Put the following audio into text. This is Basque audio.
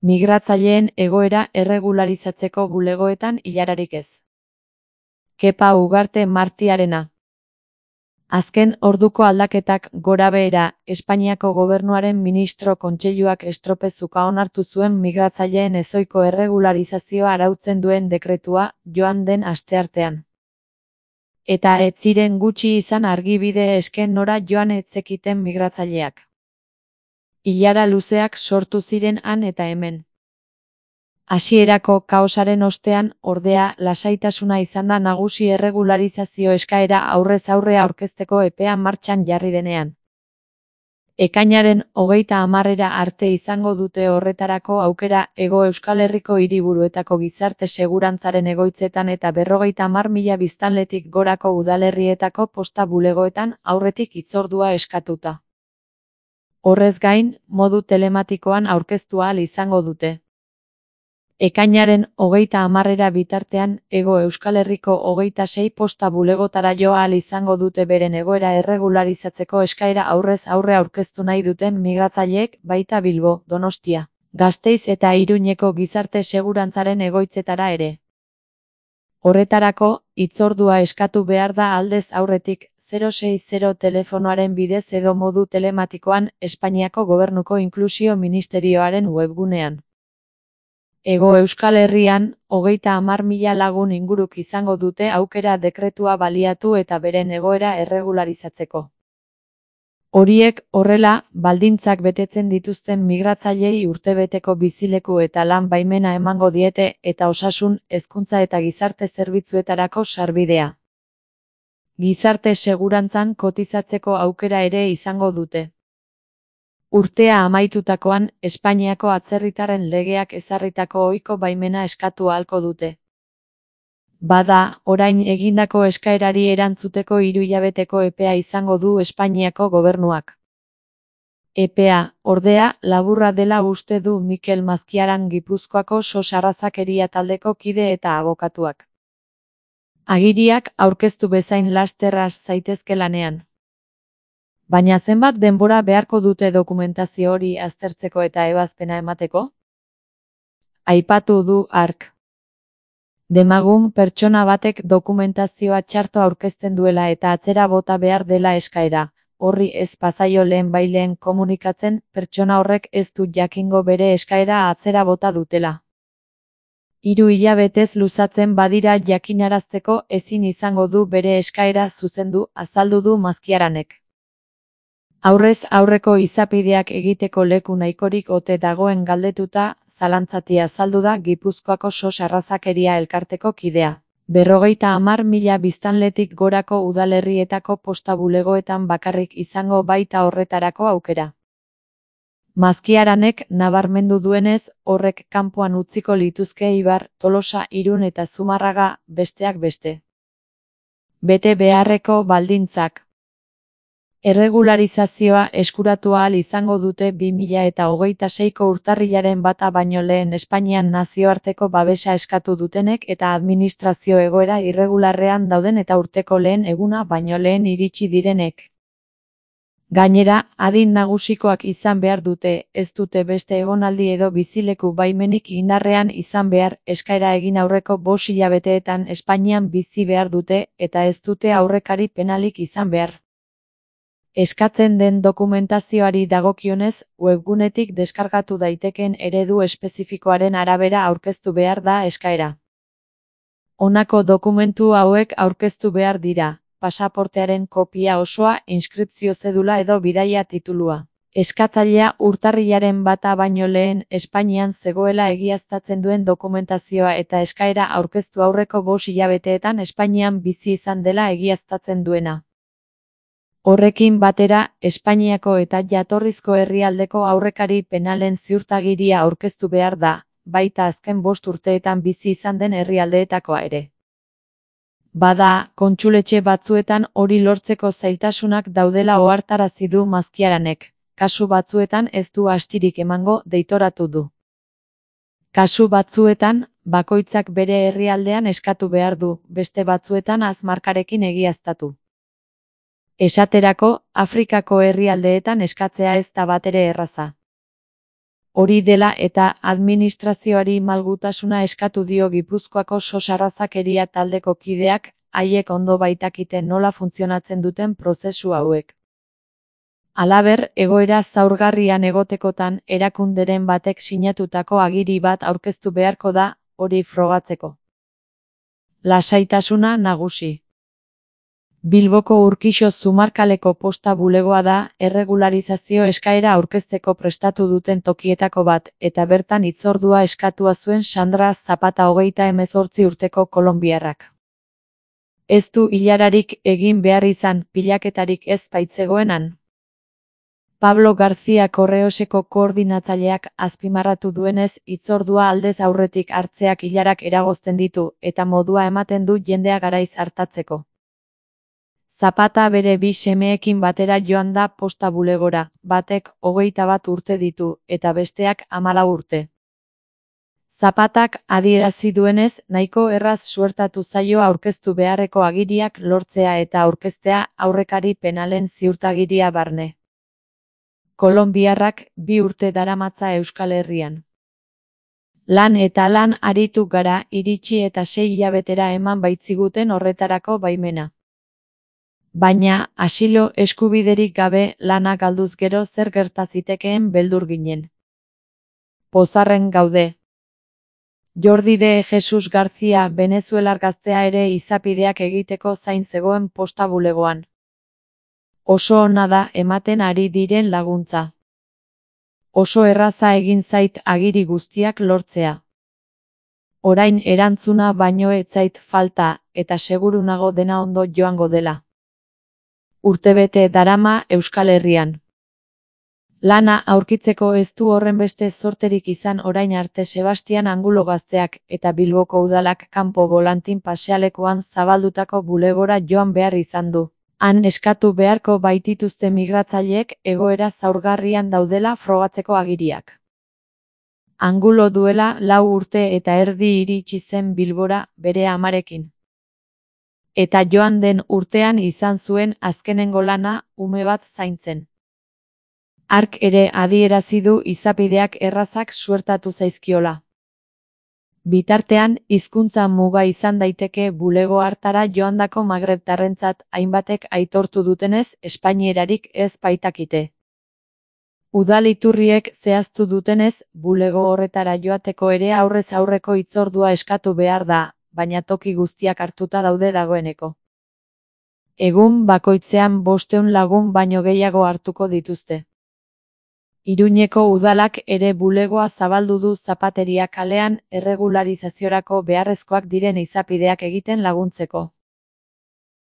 Migratzaileen egoera erregularizatzeko bulegoetan ilararik ez. Kepa Ugarte Martiarena. Azken orduko aldaketak gorabehera, Espainiako Gobernuaren Ministro Kontseiluak estropezuka onartu zuen migratzaileen ezohiko erregularizazioa arautzen duen dekretua joan den asteartean. Eta ez ziren gutxi izan argibide eske nora joan ez zekiten migratzaileak. Ilara luzeak sortu ziren han eta hemen. Hasierako kaosaren ostean, ordea, lasaitasuna izan da nagusi erregularizazio eskaera aurrez aurre aurkezteko epea martxan jarri denean. Ekainaren 30 arte izango dute horretarako aukera Hego Euskal Herriko hiriburuetako gizarte segurantzaren egoitzetan eta 50.000 biztanletik gorako udalerrietako posta bulegoetan aurretik hitzordua eskatuta. Horrez gain, modu telematikoan aurkeztu ahal izango dute. Ekainaren 30 bitartean, Hego Euskal Herriko 26 posta bulegotara jo ahal izango dute beren egoera erregularizatzeko eskaera aurrez aurre aurkeztu nahi duten migratzaileek, baita Bilbo, Donostia, Gasteiz eta Iruñeko gizarte segurantzaren egoitzetara ere. Horretarako, hitzordua eskatu behar da aldez aurretik, 060 telefonoaren bidez edo modu telematikoan, Espainiako Gobernuko Inklusio Ministerioaren webgunean. Hego Euskal Herrian, 30.000 lagun inguruk izango dute aukera dekretua baliatu eta beren egoera erregularizatzeko. Horiek, horrela, baldintzak betetzen dituzten migratzaileei urtebeteko bizileku eta lan baimena emango diete eta osasun, hezkuntza eta gizarte zerbitzuetarako sarbidea. Gizarte segurantzan kotizatzeko aukera ere izango dute. Urtea amaitutakoan, Espainiako atzerritarren legeak ezarritako ohiko baimena eskatu ahalko dute. Bada, orain egindako eskaerari erantzuteko 3 hilabeteko epea izango du Espainiako Gobernuak. Epea, ordea, laburra dela uste du Mikel Mazkiaran Gipuzkoako SOS Arrazakeria taldeko kide eta abokatuak. Agiriak aurkeztu bezain laster has zaitezke lanean. Baina zenbat denbora beharko dute dokumentazio hori aztertzeko eta ebazpena emateko? Aipatu du hark. Demagun pertsona batek dokumentazioa txarto aurkezten duela eta atzera bota behar dela eskaera, horri ez pazaio lehenbailehen komunikatzen, pertsona horrek ez du jakingo bere eskaera atzera bota dutela. 3 hilabetez luzatzen badira jakinarazteko ezin izango du bere eskaera zuzendu, azaldu du Mazkiaranek. Aurrez aurreko izapideak egiteko leku nahikorik ote dagoen galdetuta, zalantzati azaldu da Gipuzkoako SOS Arrazakeria elkarteko kidea. 50.000 biztanletik gorako udalerrietako posta bulegoetan bakarrik izango baita horretarako aukera. Mazkiaranek nabarmendu duenez, horrek kanpoan utziko lituzke Eibar, Tolosa, Irun eta Zumarraga, besteak beste. Bete beharreko baldintzak. Erregularizazioa eskuratu ahal izango dute 2026ko urtarrilaren 1 baino lehen Espainian nazioarteko babesa eskatu dutenek eta administrazio egoera irregularrean dauden eta urteko lehen eguna baino lehen iritsi direnek. Gainera, adin nagusikoak izan behar dute, ez dute beste egonaldi edo bizileku baimenik indarrean izan behar, eskaera egin aurreko 5 hilabeteetan Espainian bizi behar dute eta ez dute aurrekari penalik izan behar. Eskatzen den dokumentazioari dagokionez, webgunetik deskargatu daiteken eredu espezifikoaren arabera aurkeztu behar da eskaera. Honako dokumentu hauek aurkeztu behar dira: pasaportearen kopia osoa, inskripzio zedula edo bidaia titulua. Eskatzailea urtarrilaren 1 baino lehen Espainian zegoela egiaztatzen duen dokumentazioa eta eskaera aurkeztu aurreko 5 hilabeteetan Espainian bizi izan dela egiaztatzen duena. Horrekin batera, Espainiako eta jatorrizko herrialdeko aurrekari penalen ziurtagiria aurkeztu behar da, baita azken 5 urteetan bizi izan den herrialdeetakoa ere. Bada, kontsuletxe batzuetan hori lortzeko zailtasunak daudela ohartarazi du Mazkiaranek, kasu batzuetan ez du astirik emango, deitoratu du. Kasu batzuetan, bakoitzak bere herrialdean eskatu behar du, beste batzuetan azmarkarekin egiaztatu. Esaterako, Afrikako herrialdeetan eskatzea ez da batere erraza. Hori dela eta administrazioari malgutasuna eskatu dio Gipuzkoako sosarrazakeria taldeko kideak, haiek ondo baitakite nola funtzionatzen duten prozesu hauek. Halaber, egoera zaurgarrian egotekotan erakunderen batek sinatutako agiri bat aurkeztu beharko da, hori frogatzeko. Lasaitasuna nagusi. Bilboko Urkixo Zumarkaleko posta bulegoa da, erregularizazio eskaera aurkezteko prestatu duten tokietako bat, eta bertan hitzordua eskatua zuen Sandra Zapata 38 urteko kolonbiarrak. Ez du ilararik egin behar izan, pilaketarik ez baitzegoenan. Pablo García Correoseko koordinatzaileak azpimarratu duenez, hitzordua aldez aurretik hartzeak ilarak eragozten ditu, eta modua ematen du jendea garaiz hartatzeko. Zapata bere bi semeekin batera joan da posta bulegora, batek 21 urte ditu, eta besteak 14 urte. Zapatak adierazi duenez, nahiko erraz suertatu zaio aurkeztu beharreko agiriak lortzea eta aurkeztea aurrekari penalen ziurtagiria barne. Kolonbiarrak 2 urte daramatza Euskal Herrian. Lan eta lan aritu gara, iritsi eta 6 hilabetera eman baitziguten horretarako baimena. Baina, asilo eskubiderik gabe lana galduz gero zer gerta zitekeen beldur ginen. Pozarren gaude. Jordi de Jesus García Venezuelar gaztea ere izapideak egiteko zain zegoen posta bulegoan. Oso ona da ematen ari diren laguntza. Oso erraza egin zait agiri guztiak lortzea. Orain erantzuna baino ez zait falta, eta seguru nago dena ondo joango dela. Urtebete darama Euskal Herrian. Lana aurkitzeko ez du horrenbeste zorterik izan orain arte Sebastian Angulo gazteak eta Bilboko udalak kanpo bolantin pasealekuan zabaldutako bulegora joan behar izan du. Han eskatu beharko baitituzte migratzaileek egoera zaurgarrian daudela frogatzeko agiriak. Angulo duela 4 urte eta erdi iritsi zen Bilbora bere amarekin. Eta joan den urtean izan zuen azkenengo lana ume bat zaintzen. Hark ere adierazi du izapideak errazak suertatu zaizkiola. Bitartean, hizkuntza muga izan daiteke bulego hartara joandako magrebtarrentzat hainbatek aitortu dutenez espainierarik ez baitakite. Udal iturriek zehaztu dutenez, bulego horretara joateko ere aurrez aurreko hitzordua eskatu behar da, baina toki guztiak hartuta daude dagoeneko. Egun bakoitzean 500 lagun baino gehiago hartuko dituzte. Iruñeko udalak ere bulegoa zabaldu du Zapateria kalean erregularizaziorako beharrezkoak diren izapideak egiten laguntzeko.